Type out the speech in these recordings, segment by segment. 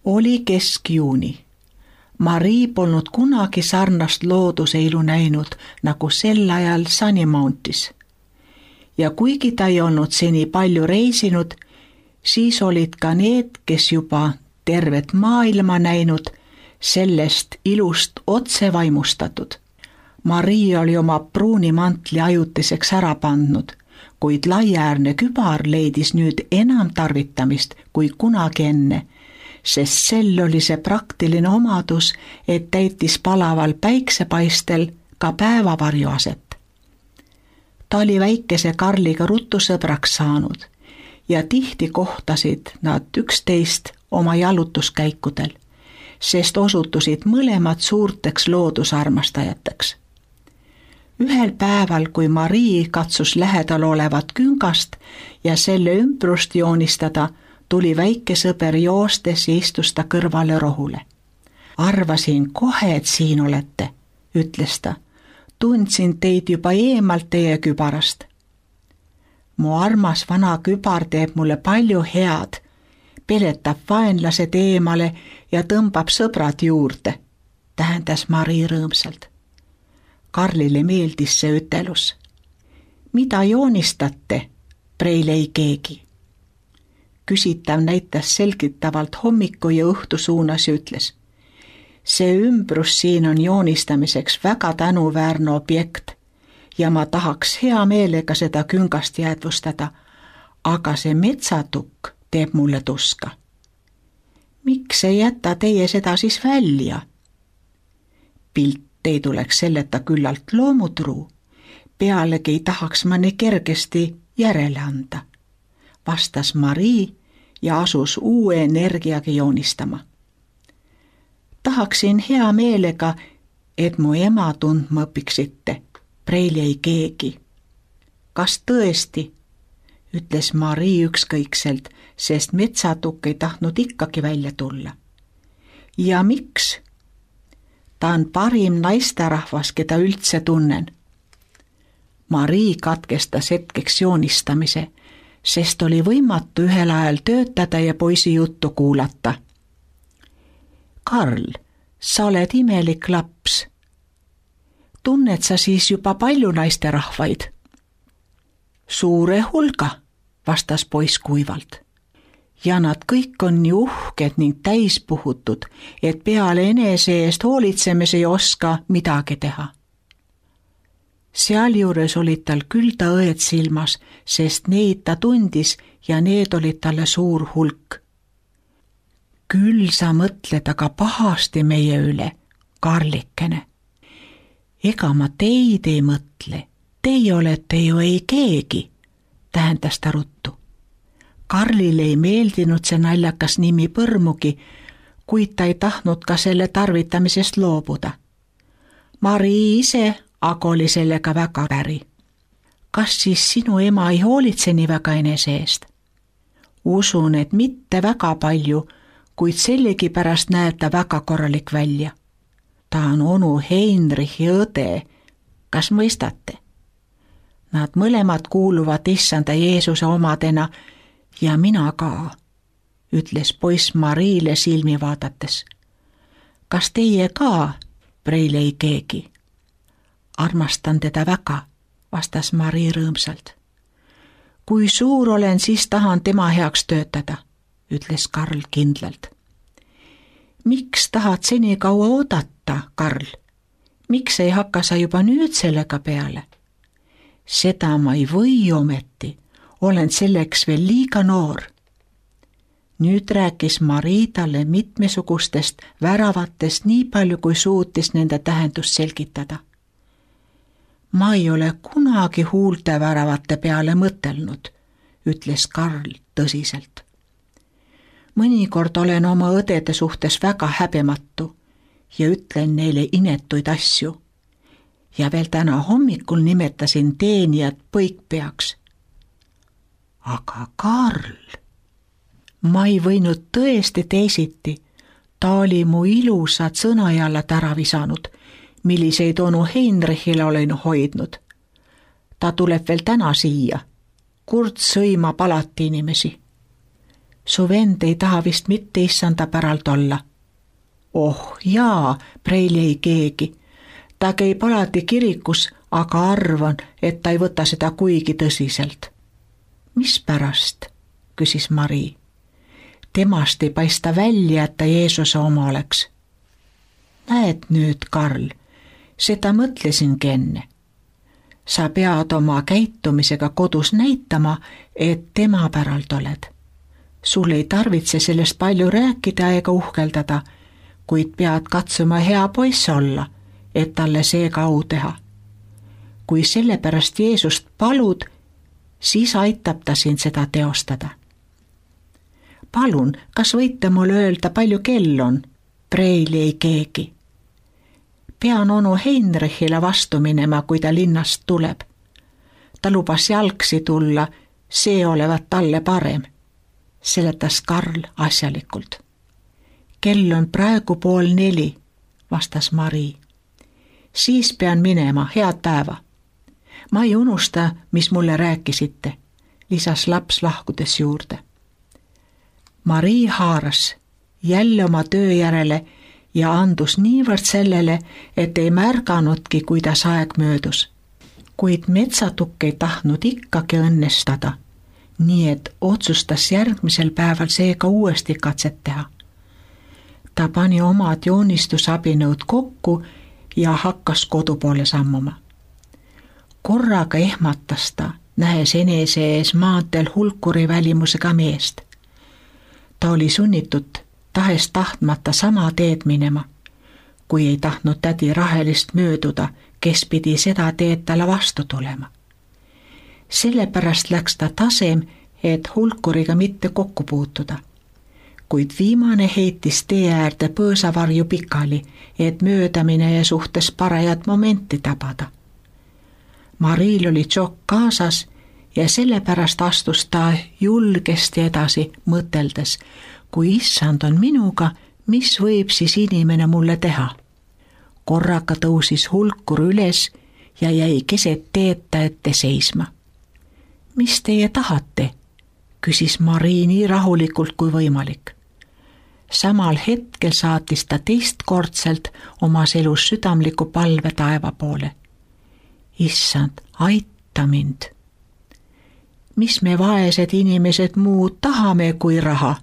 Oli keskjuuni. Marii polnud kunagi sarnast looduseilu näinud nagu sel ajal Sunny Mountis. Ja kuigi ta ei olnud seni palju reisinud, siis olid ka need, kes juba tervet maailma näinud, sellest ilust otse vaimustatud. Marii oli oma pruuni mantli ajutiseks ära pandnud, kuid laiaäärne kübar leidis nüüd enam tarvitamist kui kunagi enne, sest sel oli see praktiline omadus, et täitis palaval päiksepaistel ka päevavarju aset. Ta oli väikese Karliga ruttu sõbraks saanud ja tihti kohtasid nad üksteist oma jalutuskäikudel, sest osutusid mõlemad suurteks loodusarmastajateks. Ühel päeval, kui Marii katsus lähedal olevat küngast ja selle ümbrust joonistada, tuli väike sõber joostes ja istus ta kõrvale rohule. Arvasin kohe, et siin olete, ütles ta. Tundsin teid juba eemalt teie kübarast. Mu armas vana kübar teeb mulle palju head, peletab vaenlased eemale ja tõmbab sõbrad juurde, tähendas Marii rõõmsalt. Karlile meeldis see ütelus. Mida joonistate, preile ei keegi. Küsitav näitas selgitavalt hommiku ja õhtu suunas ja ütles. See ümbrus siin on joonistamiseks väga tänuväärne objekt ja ma tahaks hea meelega seda küngast jäädvustada, aga see metsatukk teeb mulle tuska. Miks ei jäta teie seda siis välja? Pilt ei tuleks selleta küllalt loomutruu, pealegi ei tahaks ma nii kergesti järele anda, vastas Marii ja asus uue energiaga joonistama. Tahaksin hea meelega, et mu ema tundma õpiksite, preili ei keegi. Kas tõesti? Ütles Marii ükskõikselt, sest metsatukk ei tahtnud ikkagi välja tulla. Ja miks? Ta on parim naisterahvas, keda üldse tunnen. Marii katkestas hetkeks joonistamise, sest oli võimatu ühel ajal töötada ja poisi juttu kuulata. Karl, sa oled imelik laps. Tunned sa siis juba palju naisterahvaid? Suure hulga, vastas poiss kuivalt. Ja nad kõik on nii uhked ning täispuhutud, et peale enese eest hoolitsemise ei oska midagi teha. Sealjuures olid tal küll ta õed silmas, sest neid ta tundis ja need olid talle suur hulk. Küll sa mõtled aga pahasti meie üle, Karlikene. Ega ma teid ei mõtle, teie olete ju ei keegi, tähendas ta ruttu. Karlile ei meeldinud see naljakas nimi põrmugi, kuid ta ei tahtnud ka selle tarvitamisest loobuda. Marii ise aga oli sellega väga päri. Kas siis sinu ema ei hoolitse nii väga enese eest? Usun, et mitte väga palju, kuid sellegipärast näeb ta väga korralik välja. Ta on onu Heinrichi õde, kas mõistate? Nad mõlemad kuuluvad issanda Jeesuse omadena ja mina ka, ütles poiss Mariile silmi vaadates. Kas teie ka, preile ei keegi? Armastan teda väga, vastas Marii rõõmsalt. Kui suur olen, siis tahan tema heaks töötada, ütles Karl kindlalt. Miks tahad seni kaua oodata, Karl? Miks ei hakka sa juba nüüd sellega peale? Seda ma ei või ometi, olen selleks veel liiga noor. Nüüd rääkis Marii talle mitmesugustest väravatest nii palju, kui suutis nende tähendust selgitada. Ma ei ole kunagi huulte väravate peale mõtelnud, ütles Karl tõsiselt. Mõnikord olen oma õdede suhtes väga häbematu ja ütlen neile inetuid asju. Ja veel täna hommikul nimetasin teenijat põikpeaks. Aga Karl, ma ei võinud tõesti teisiti, ta oli mu ilusad sõnajallad ära visanud, milliseid onu Heinrichile olen hoidnud. Ta tuleb veel täna siia, kurt sõimab alati inimesi. Su vend ei taha vist mitte issanda päralt olla. Oh jaa, preili ei keegi. Ta käib alati kirikus, aga arvan, et ta ei võta seda kuigi tõsiselt. Mispärast? Küsis Mari. Temast ei paista välja, et ta Jeesuse oma oleks. Näed nüüd, Karl, seda mõtlesingi enne. Sa pead oma käitumisega kodus näitama, et tema päralt oled. Sul ei tarvitse sellest palju rääkida ega uhkeldada, kuid pead katsuma hea poiss olla, et talle seega au teha. Kui sellepärast Jeesust palud, siis aitab ta sind seda teostada. Palun, kas võite mulle öelda, palju kell on? Preili ei keegi. Pean onu Heinrichile vastu minema, kui ta linnast tuleb. Ta lubas jalgsi tulla, see olevat talle parem, seletas Karl asjalikult. Kell on praegu 3:30, vastas Mari. Siis pean minema, head päeva. Ma ei unusta, mis mulle rääkisite, lisas laps lahkudes juurde. Mari haaras jälle oma töö järele ja andus niivõrd sellele, et ei märganudki, kuidas aeg möödus. Kuid metsatukk ei tahtnud ikkagi õnnestada, nii et otsustas järgmisel päeval seega uuesti katset teha. Ta pani omad joonistusabinõud kokku ja hakkas kodu poole sammuma. Korraga ehmatas ta, nähes enese ees maanteel hulkuri välimusega meest. Ta oli sunnitud tahes tahtmata sama teed minema, kui ei tahtnud tädi Rahelist mööduda, kes pidi seda teed talle vastu tulema. Sellepärast läks ta tasem, et hulkuriga mitte kokku puutuda. Kuid viimane heitis tee äärde põõsavarju pikali, et möödamine ja suhtes parajat momenti tabada. Maril oli tšokk kaasas ja sellepärast astus ta julgesti edasi, mõteldes, kui issand on minuga, mis võib siis inimene mulle teha. Korraga tõusis hulkur üles ja jäi keset teed ta ette seisma. Mis teie tahate? Küsis Mari nii rahulikult kui võimalik. Samal hetkel saatis ta teistkordselt omas elus südamliku palve taeva poole. Issand, aita mind. Mis me vaesed inimesed muud tahame kui raha?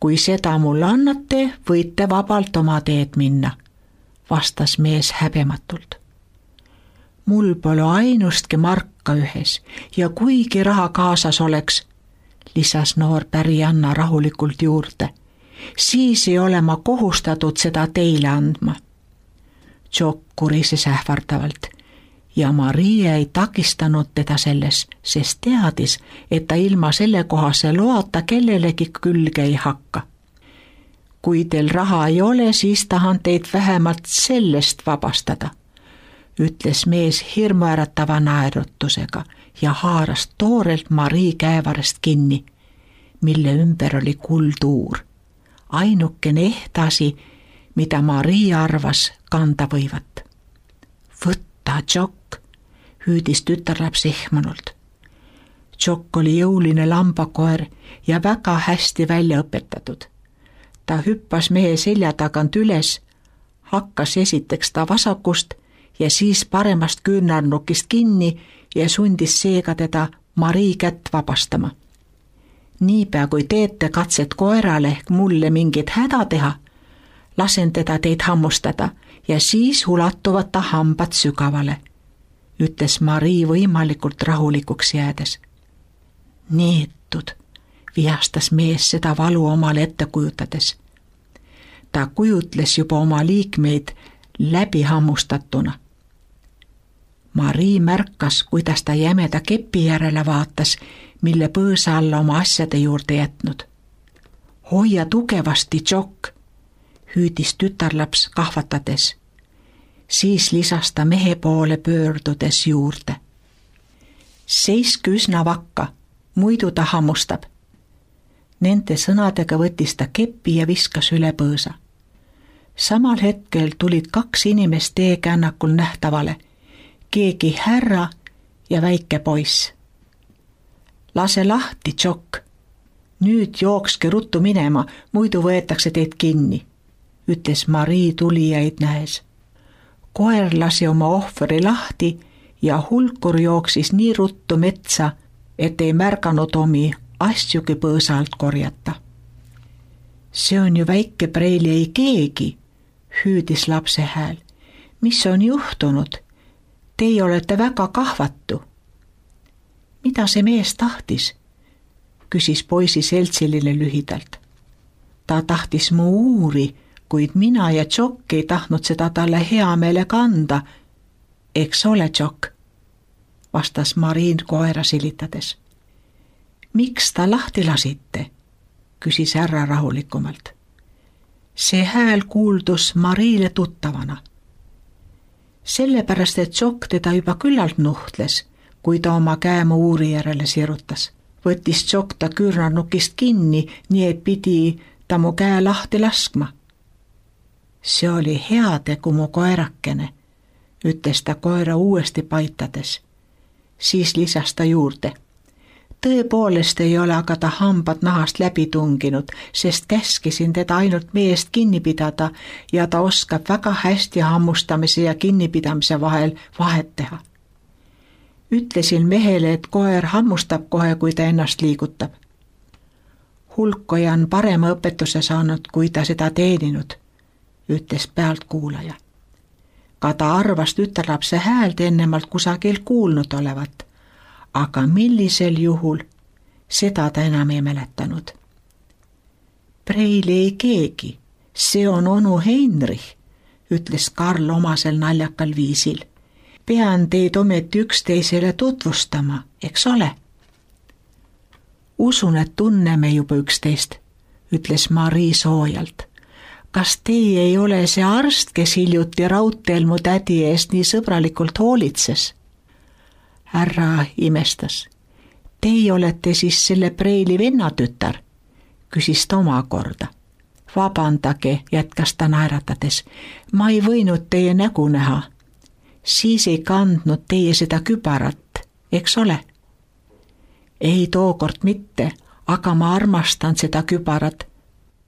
Kui seda mulle annate, võite vabalt oma teed minna, vastas mees häbematult. Mul pole ainustki marka ühes ja kuigi raha kaasas oleks, lisas noor pärianna rahulikult juurde, siis ei ole ma kohustatud seda teile andma. Tšokk kurises ähvardavalt ja Maria ei takistanud teda selles, sest teadis, et ta ilma sellekohase loata kellelegi külge ei hakka. Kui teil raha ei ole, siis tahan teid vähemalt sellest vabastada, ütles mees hirmuäratava naerutusega ja haaras toorelt Mari käevarest kinni, mille ümber oli kulduur. Ainukene ehtasi, mida Mari arvas kanda võivat. Võtta, Tšokk, hüüdis tütarlaps ehmunult. Tšokk oli jõuline lambakoer ja väga hästi välja õpetatud. Ta hüppas mehe selja tagant üles, hakkas esiteks ta vasakust ja siis paremast küünarnukist kinni ja sundis seega teda Mari kätt vabastama. Niipea kui teete katset koerale ehk mulle mingit häda teha, lasen teda teid hammustada ja siis ulatuvad ta hambad sügavale, ütles Mari võimalikult rahulikuks jäädes. Neetud, vihastas mees seda valu omale ette kujutades. Ta kujutles juba oma liikmeid läbi hammustatuna. Mari märkas, kuidas ta jämeda kepi järele vaatas, mille põõsa alla oma asjade juurde jätnud. Hoia tugevasti, Tšokk, hüüdis tütarlaps kahvatades. Siis lisas ta mehe poole pöördudes juurde. Seiske üsna vakka, muidu ta hammustab. Nende sõnadega võttis ta kepi ja viskas üle põõsa. Samal hetkel tulid 2 inimest teekännakul nähtavale, keegi härra ja väike poiss. Lase lahti, Tšokk, Nüüd jookske ruttu minema, muidu võetakse teid kinni, ütles Marii tulijaid nähes. Koer lasi oma ohvri lahti ja hulkur jooksis nii ruttu metsa, et ei märganud omi asjugi põõsa alt korjata. See on ju väike Preili ei keegi, hüüdis lapse hääl. Mis on juhtunud? Teie olete väga kahvatu. Mida see mees tahtis? Küsis poisi seltsiline lühidalt. Ta tahtis mu uuri, kuid mina ja Jock ei tahtnud seda talle hea meelega anda. Eks ole, Jock? Vastas Marii koera silitades. Miks ta lahti lasite? Küsis härra rahulikumalt. See hääl kuuldus Mariile tuttavana. Sellepärast, et Jock teda juba küllalt nuhtles, kui ta oma käe mu uuri järele sirutas. Võttis Jock ta küürnarnukist kinni, nii et pidi ta mu käe lahti laskma. See oli hea tegu mu koerakene, ütles ta koera uuesti paitades. Siis lisas ta juurde. Tõepoolest ei ole aga ta hambad nahast läbi tunginud, sest käskisin teda ainult meest kinni pidada ja ta oskab väga hästi hammustamise ja kinnipidamise vahel vahet teha. Ütlesin mehele, et koer hammustab kohe, kui ta ennast liigutab. Hulkoja on parema õpetuse saanud, kui ta seda teeninud, ütles pealtkuulaja. Ka ta arvas tütarlapse häält ennemalt kusagil kuulnud olevat, aga millisel juhul, seda ta enam ei mäletanud. Preili ei keegi, see on onu Heinrich, ütles Karl omasel naljakal viisil. Pean teid ometi üksteisele tutvustama, eks ole? Usun, et tunneme juba üksteist, ütles Marii soojalt. Kas teie ei ole see arst, kes hiljuti raudteel mu tädi eest nii sõbralikult hoolitses? Härra imestas. Teie olete siis selle Preili vennatütar, küsis ta omakorda. Vabandage, jätkas ta naeratades. Ma ei võinud teie nägu näha. Siis ei kandnud teie seda kübarat, eks ole? Ei tookord mitte, aga ma armastan seda kübarat.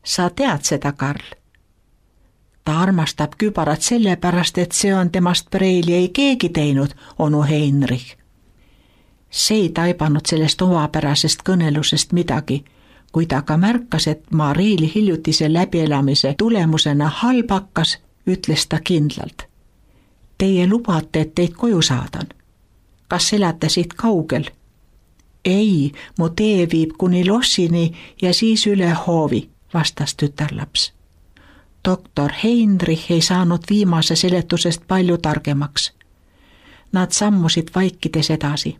Sa tead seda, Karl? Ta armastab kübarat sellepärast, et see on temast Preili ei keegi teinud, onu Heinrich. See ei taibanud sellest omapärasest kõnelusest midagi, kui ta ka märkas, et Mariil hiljutise läbielamise tulemusena halb hakkas, ütles ta kindlalt. Teie lubate, et teid koju saadan. Kas elate siit kaugel? Ei, mu tee viib kuni lossini ja siis üle hoovi, vastas tütarlaps. Doktor Heinrich ei saanud viimase seletusest palju targemaks. Nad sammusid vaikides edasi.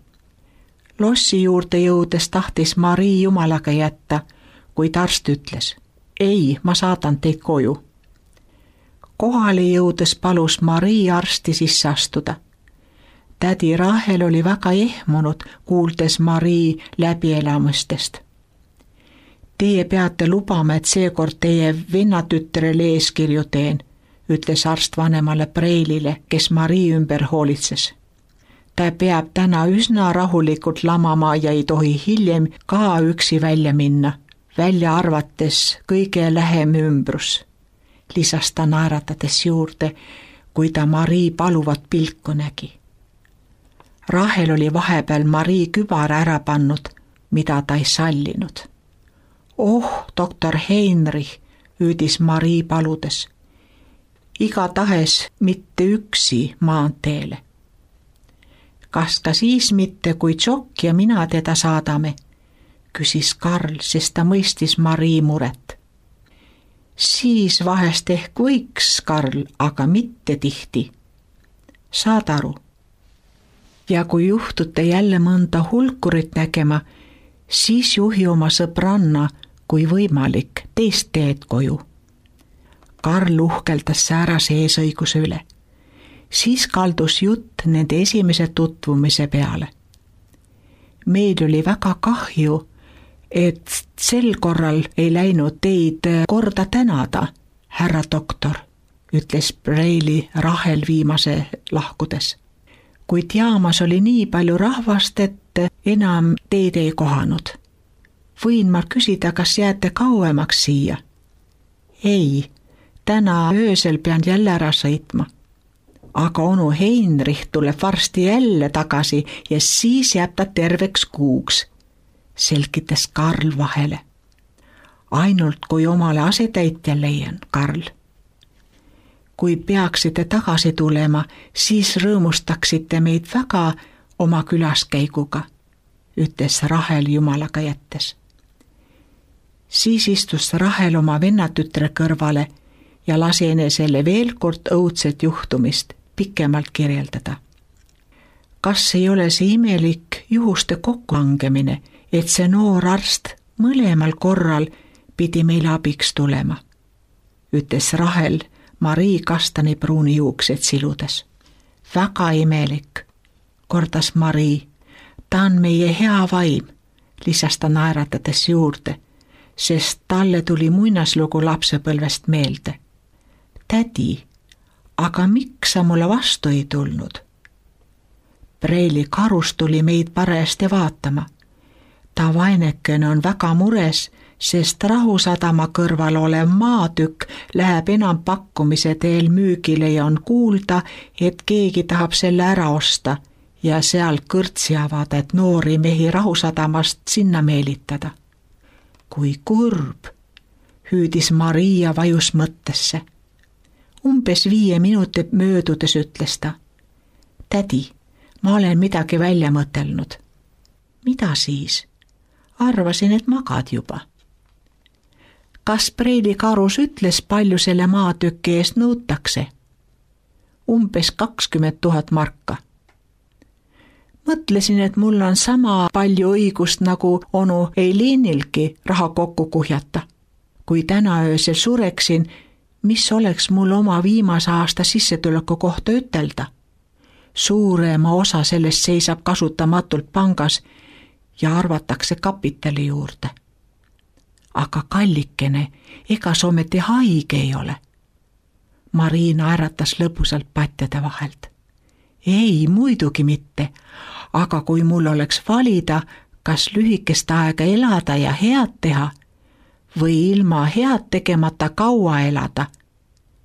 Lossi juurde jõudes tahtis Marii jumalaga jätta, kuid arst ütles. Ei, ma saadan teid koju. Kohale jõudes palus Marii arsti sisse astuda. Tädi Rahel oli väga ehmunud, kuuldes Marii läbielamustest. Teie peate lubama, et seekord teie vennatütrele eeskirju teen, ütles arst vanemale Preilile, kes Marii ümber hoolitses. Ta peab täna üsna rahulikult lamama ja ei tohi hiljem ka üksi välja minna, välja arvates kõige lähem ümbrus. Lisas ta naeratades juurde, kui ta Marii paluvat pilku nägi. Rahel oli vahepeal Marii kübara ära pannud, mida ta ei sallinud. Oh, doktor Heinrich, hüüdis Marii paludes. Igatahes mitte üksi maanteele. Kas ka siis mitte, kui Jock ja mina teda saadame, küsis Karl, sest ta mõistis Marii muret. Siis vahest ehk võiks, Karl, aga mitte tihti. Saad aru? Ja kui juhtute jälle mõnda hulkurit nägema, siis juhi oma sõbranna, kui võimalik, teist teed koju. Karl uhkeldas säärase eesõiguse üle. Siis kaldus jutt nende esimese tutvumise peale. Meil oli väga kahju, et sel korral ei läinud teid korda tänada, härra doktor, ütles Preili Rahel viimase lahkudes. Kuid jaamas oli nii palju rahvast, et enam teid ei kohanud. võin ma küsida, kas jääte kauemaks siia? Ei, täna öösel pean jälle ära sõitma. Aga onu Heinrich tuleb varsti jälle tagasi ja siis jääb ta terveks kuuks, selgitas Karl vahele. Ainult kui omale asetäitja leian, Karl. Kui peaksite tagasi tulema, siis rõõmustaksite meid väga oma külaskäiguga, ütles Rahel jumalaga jättes. Siis istus Rahel oma vennatütre kõrvale ja lasi enesele veel kord õudset juhtumist pikemalt kirjeldada. Kas ei ole see imelik juhuste kokkulangemine, et see noor arst mõlemal korral pidi meile abiks tulema, ütles Rahel Marii kastanipruuni juuksed siludes. Väga imelik, kordas Marii. Ta on meie hea vaim, lisas ta naeratades juurde, sest talle tuli muinaslugu lapsepõlvest meelde. Tädi, aga miks sa mulle vastu ei tulnud? Preili Karus tuli meid parajasti vaatama. Ta vainekene on väga mures, sest Rahusadama kõrval olev maatükk läheb enam pakkumise teel müügile ja on kuulda, et keegi tahab selle ära osta ja seal kõrtsi avada, et noori mehi Rahusadamast sinna meelitada. Kui kurb, hüüdis Maria vajus mõttesse. Umbes 5 minuti möödudes ütles ta. Tädi, ma olen midagi välja mõtelnud. Mida siis? Arvasin, et magad juba. Kas Preili Karus ütles, palju selle maatüki eest nõutakse? Umbes 20 000 marka. Mõtlesin, et mul on sama palju õigust nagu onu Eilinilgi raha kokku kuhjata. Kui täna öösel sureksin, mis oleks mul oma viimase aasta sissetuleku kohta ütelda? Suurema osa sellest seisab kasutamatult pangas ja arvatakse kapitali juurde. Aga kallikene, ega sa ometi haige ei ole? Mariina äratas lõbusalt patjade vahelt. Ei, muidugi mitte, aga kui mul oleks valida, kas lühikest aega elada ja head teha või ilma head tegemata kaua elada,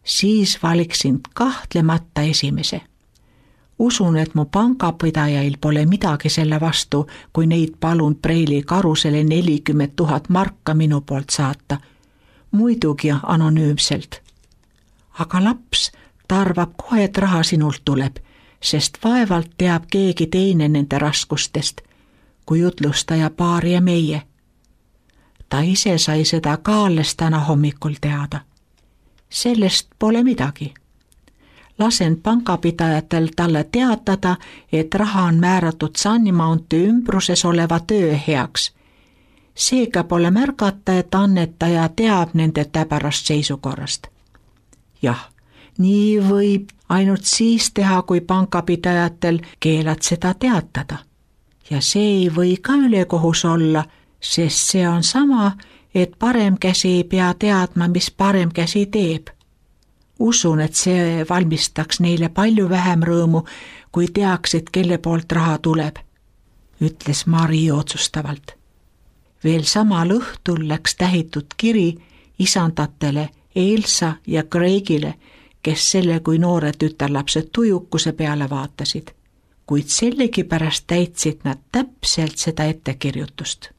siis valiksin kahtlemata esimese. Usun, et mu pangapidajail pole midagi selle vastu, kui neid palun Preili Karusele 40 000 marka minu poolt saata, muidugi anonüümselt. Aga laps tarvab kohe, et raha sinult tuleb, sest vaevalt teab keegi teine nende raskustest, kui jutlustaja paar ja meie. Ta ise sai seda ka alles täna hommikul teada. Sellest pole midagi. Lasen pangapidajatel talle teatada, et raha on määratud Sunny Mounti ümbruses oleva töö heaks. Seega pole märgata, et annetaja teab nende täbarast seisukorrast. Jah, nii võib ainult siis teha, kui pangapidajatel keelad seda teatada. Ja see ei või ka ülekohus olla, sest see on sama, et parem käsi ei pea teadma, mis parem käsi teeb. Usun, et see valmistaks neile palju vähem rõõmu, kui teaksid, kelle poolt raha tuleb, ütles Mari otsustavalt. Veel samal õhtul läks tähitud kiri isandatele Elsa ja Craigile, kes selle kui noore tütarlapsed tujukuse peale vaatasid, kuid sellegipärast täitsid nad täpselt seda ettekirjutust.